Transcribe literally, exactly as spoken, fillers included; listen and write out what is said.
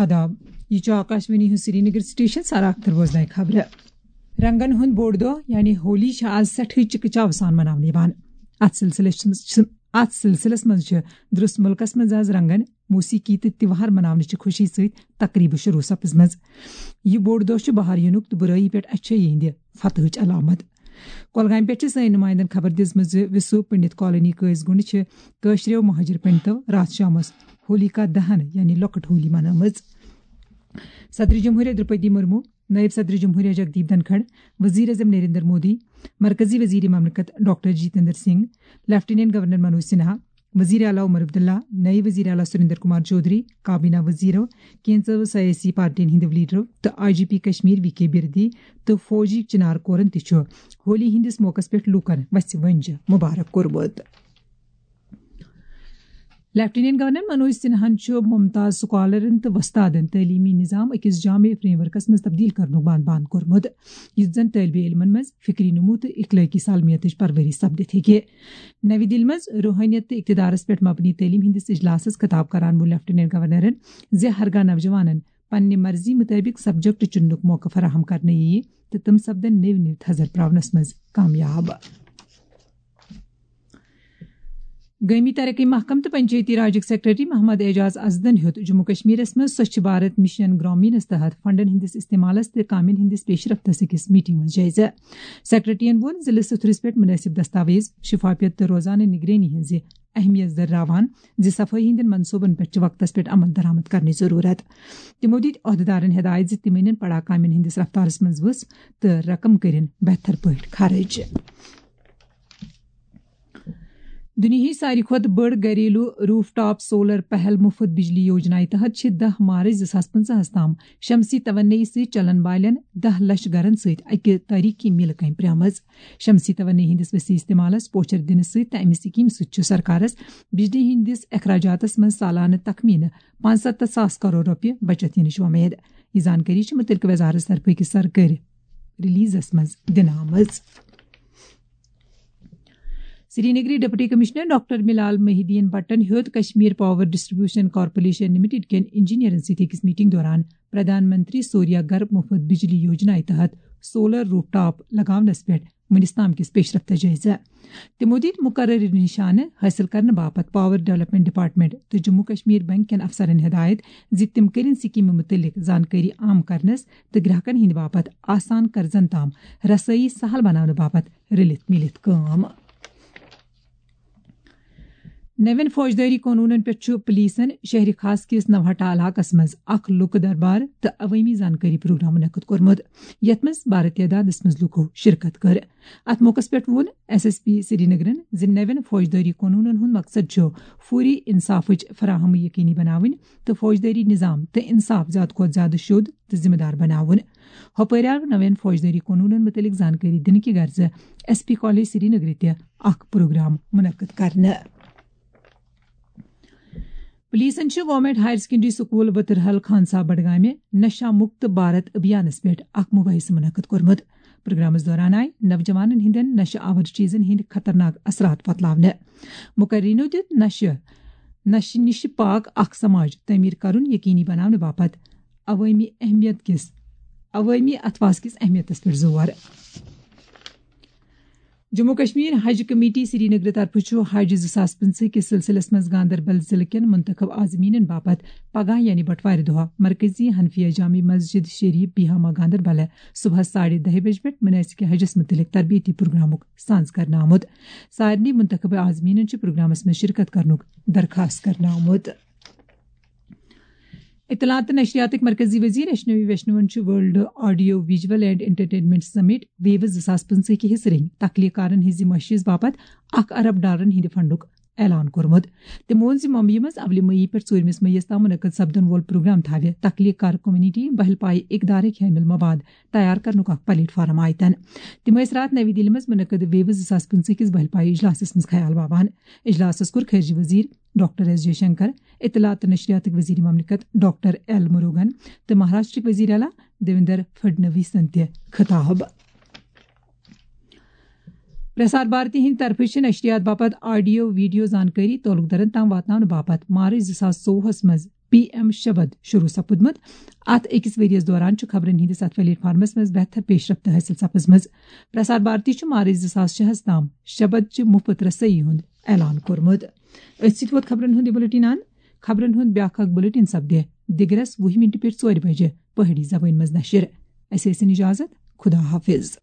آداب، یہِ چھُ آکاشوانی ہُنٛد سرینگر سٹیشن۔ سارا اختر بوزناے خبرٕ۔ رنگن ہُنٛد بوٚڑ دۄہ یعنی ہولی چھِ آز سٮ۪ٹھٕے چِکہٕ چاوٕ سان مناونہٕ یِوان۔ اتھ سلسلس چھِ، اتھ سلسلس منٛز چھِ درس ملکس منٛز آز رنگن، موسیقی تہٕ تہوار مناونہٕ چہِ خوشی سۭتۍ تقریبہٕ شروع سپٕزمٕژ۔ یہِ بوٚڑ دۄہ چھُ بہار یِنُک تہٕ بُرٲیی پٮ۪ٹھ اچھٲیی ہٕنٛدِ فتحٕچ علامت۔ کۄلگامہِ پٮ۪ٹھ چھِ سٲنۍ نُمایندن خبر دِژمٕژ زِ وِسو پنڈت کالونی قٲضۍ گُنڈ چھِ کٲشرٮ۪و مہاجر پنڈتو راتھ شامس ہولیکا دہن یعنی لۄکٕٹ ہولی منٲومٕژ۔ صدر جمہوریہ درپدی مرمو، نائب صدر جمہوریہ جگدیپ دھنکھڑ، وزیر اعظم نریندر مودی، مرکزی وزیر مملکت doctor Jitendra Singh, lieutenant governor Manoj Sinha, وزیر اعلیٰ عمر عبداللہ، نئے وزیر اعلیٰ سریندر کمار چودھری، کابینہ وزیرو، کینژو سیاسی پارٹین ہٕنٛدیو لیڈرو تہٕ I G P Kashmir V K Birdi تہٕ فوجی چنار کورن تہِ چھُ ہولی ہٕنٛدِس موقعس پٮ۪ٹھ لوٗکن وژھِ ونجہِ مبارک کوٚرمُت۔ لیفٹیننٹ گورنر منوج سنہاہن چھُ ممتاز سکالرن تہٕ وۄستادن تعلیمی نظام أکِس جامع فریم ورکس منٛز تبدیل کرنُک بان بان کوٚرمُت، یُتھ زن طٲلبہِ علمن منٛز فکری نمو تہٕ اخلٲقی سالمیتٕچ پروری سپدِتھ ہیٚکہِ۔ نَوِ دِلہِ منٛز روحٲنیت تہٕ اقتدارس پٮ۪ٹھ مبنی تعلیٖم ہٕنٛدِس اجلاسس خطاب کران ووٚن لیفٹیننٹ گورنرن زِ ہرگاہ نوجوانن پننہِ مرضی مُطٲبِق سبجیکٹ چُننُک موقعہٕ فراہم کرنہٕ یِیہِ تہٕ تِم سپدن نٔوۍ نٔوۍ تھزر پراونس منٛز کامیاب۔ گٲمی ترقی محکمہٕ تہٕ پنچایتی راجٕکۍ سیکرٹری محمد اعجاز ازدن ہیوٚت جموں کشمیرس منٛز سوچھ بھارت مشن گرامینس تحت فنڈن ہٕنٛدِس استعمالس تہٕ کامٮ۪ن ہٕنٛدِس پیش رفتس أکِس میٹنگ منٛز جٲیزٕ۔ سیکرٹریَن ووٚن زِ لِسہٕ تھرِس پٮ۪ٹھ منٲسِب دستاویز، شفافیت تہٕ روزانہٕ نگرٲنی ہٕنٛزِ اہمیت دٔرراوان زِ صفٲیی ہٕنٛدٮ۪ن منصوبن پٮ۪ٹھ چھِ وقتس پٮ۪ٹھ عمل درآمد کرنٕچ ضروٗرت۔ تِمو دِتۍ عہدٕدارن ہدایت زِ تِم أنِن پڑا کامٮ۪ن ہٕنٛدِس رفتارس منٛز وُژھ تہٕ رقم کٔرِن بہتر پٲٹھۍ خرٕچ۔ دُنیاہٕچ ساروی کھۄتہٕ بٔڑ گھریلو روف ٹاپ سولر پہل مفت بجلی یوجنایہِ تحت چھِ دَہ مارچ زٕ ساس پٕنٛژٕہَس تام شمسی توانٲیی سۭتۍ چلن والٮ۪ن دَہ لچھ گرن سۭتۍ اکہِ تٲریخی میلہٕ کامہِ پرٛامٕژ۔ شمسی توانٲیی ہٕنٛدِس وسیع استعمالس پوچھر دِنہٕ سۭتۍ تہٕ امہِ سکیمہِ سۭتۍ چھُ سرکارس بجلی ہٕنٛدِس اخراجاتس منٛز سالانہٕ تخمینہٕ پانٛژستتھ ساس کرور رۄپیہِ بچت یِنٕچ وۄمید۔ یہِ زانکٲری چھِ مُتعلقہٕ وزارتس طرفہٕ أکِس سرکٲرۍ ریلیزس منٛز دِنہٕ آمٕژ۔ سرینگرٕکۍ ڈپٹی کمشنر ڈاکٹر ملال محی الدین بٹن ہیوٚت Kashmir power distribution corporation limited کٮ۪ن انجینئرن سۭتۍ أکِس میٹنگ دوران پردھان منتری سوریا گھر مفت بجلی یوجنایہِ تحت سولر روف ٹاپ لگاونس پٮ۪ٹھ وُنیُس تام کِس پیشرفتس جٲیزٕ۔ تِمو دِتۍ مقررٕ نشانہٕ حٲصِل کرنہٕ باپتھ پاور ڈیولپمنٹ ڈپارٹمنٹ تہٕ جموں کشمیر بینک کٮ۪ن افسرن ہدایت زِ تِم کٔرِن سکیمہِ مُتعلق زانکٲری عام کرنس تہٕ گراہکن ہٕنٛدِ باپتھ آسان قرضن تام رسٲیی سہل بناونہٕ باپتھ رٔلِتھ مِلِتھ کٲم۔ نوین فوجدٲری قونوٗنن پٮ۪ٹھ چھُ پولیسن شہر خاص کِس نوہٹا علاقس منٛز اکھ لوٗکہٕ دربار تہٕ عوٲمی زانکٲری پروگرام منعقد کوٚرمُت، یتھ منٛز بارٕ تعدادس منٛز لوٗکو شرکت کٔر۔ اتھ موقعس پٮ۪ٹھ ووٚن ایس ایس پی سرینگرن زِ نوین فوجدٲری قونوٗنن ہُنٛد مقصد چھُ فوری انصافٕچ فراہمی یقینی بناوٕنۍ تہٕ فوجدٲری نظام تہٕ انصاف زیادٕ کھۄتہٕ زیادٕ شوٚد تہٕ ذمہٕ دار بناوُن۔ ہۄپٲرۍ آو نوین فوجدٲری قونوٗنن مُتعلق زانکٲری دِنہٕ کہِ غرضہٕ ایس پی کالج سرینگرٕ تہِ اکھ پروگرام منعقد کرنہٕ۔ پولیسن چھِ government higher secondary school Watrahal Khan Sahib بڈگامہِ نشہ مکت بھارت ابھیانس پٮ۪ٹھ اکھ مباحثہٕ منعقد کوٚرمُت۔ پروگرامس دوران آیہِ نوجوانن ہٕنٛدٮ۪ن نشہ آور چیزن ہٕنٛدۍ خطرناک اثرات وۄتلاونہٕ۔ مقررینو دیُت نشہ، نشہ نِش پاک اکھ سماج تعمیر کرُن یقینی بناونہٕ باپتھ عوٲمی اہمیت کِس، عوٲمی اتھواس کِس اہمیتس پٮ۪ٹھ زور۔ جموں کشمیر حج کمیٹی سرینگر طرفہٕ چھُ حج زٕ ساس پٕنٛژٕہ کِس سلسلس منٛز گاندربل ضلعہٕ کٮ۪ن منتخب عازمیٖنَن باپتھ پگاہ یعنی بٹوارِ دۄہ مرکزی حنفیہ جامع مسجد شریف بیہامہ گاندربل صبحس ساڑِ دَہہِ بجہِ پٮ۪ٹھ مناسک حجس مُتعلق تربیتی پروگرامُک سانز کرنہٕ آمُت۔ سارنٕے منتخب عازمیٖنَن چھُ پروگرامس منٛز شرکت کرنُک درخواست کرنہٕ آمُت۔ اطلاعات تہٕ نشریاتٕکۍ مرکزی وزیر اشنوی ویشنوَن چھُ World Audio Visual and Entertainment Summit ویوز زٕ ساس پٕنٛژٕہ کہِ حصہٕ رنگۍ تخلیق کارن ہٕنٛزِ معٲشیس باپتھ اکھ ارب ڈالرن ہٕنٛدِ فنڈُک اعلان کوٚرمُت۔ تٔمۍ ووٚن زِ ممبیہِ منٛز اولہِ مئی پٮ۪ٹھ ژوٗرمِس مئیس تام منعقد سپدن وول پروگرام تھاوِ تخلیق کار کمیونٹی بہل پایہِ اقدارٕکۍ حٲمل مواد تیار کرنُک اکھ پلیٹ فارم آیتن۔ تِم ٲسۍ راتھ نَوِ دِلہِ منٛز منعقد ویوز زٕ ساس پٕنٛژٕہ کِس بہل پایہِ اجلاسس منٛز خیال باوان۔ اجلاسس کوٚر خارجہ وزیر ڈاکٹر ایس جے شنکر، اطلاعات تہٕ نشریاتٕکۍ وزیر مملکت ڈاکٹر ایل مروگن تہٕ مہاراشٹرٕکۍ وزیر اعلیٰ دیویندر فڈنویسن تہِ خطاب۔ پرسار بھارتی ہٕنٛدِ طرفہٕ چھِ نشریات باپتھ آڈیو ویڈیو زانکٲری تعلق دارن تام واتناونہٕ باپتھ مارچ زٕ ساس ژوٚوُہس منٛز پی ایم شبد شروع سپدمت۔ اتھ أکِس ؤریَس دوران چھُ خبرن ہٕنٛدِس اتھ پلیٹ فارمس منٛز بہتر پیش رفت حٲصِل سپٕزمٕژ۔ پرسار بھارتی چھُ مارچ زٕ ساس شےٚ ہس تام شبد چہِ مُفت رسٲیی ہُنٛد اعلان کوٚرمُت۔ أتھۍ سۭتۍ ووت خبرن ہُنٛد یہِ بُلٹن اند۔ خبرن ہُنٛد بیٛاکھ اکھ بُلٹن سپدِ دِگرس وُہہِ مِنٹہِ پٮ۪ٹھ ژورِ بجہِ پہٲڑی زبٲنۍ منٛز نشر۔ اسہِ ٲسِن اجازت۔ خدا حافظ۔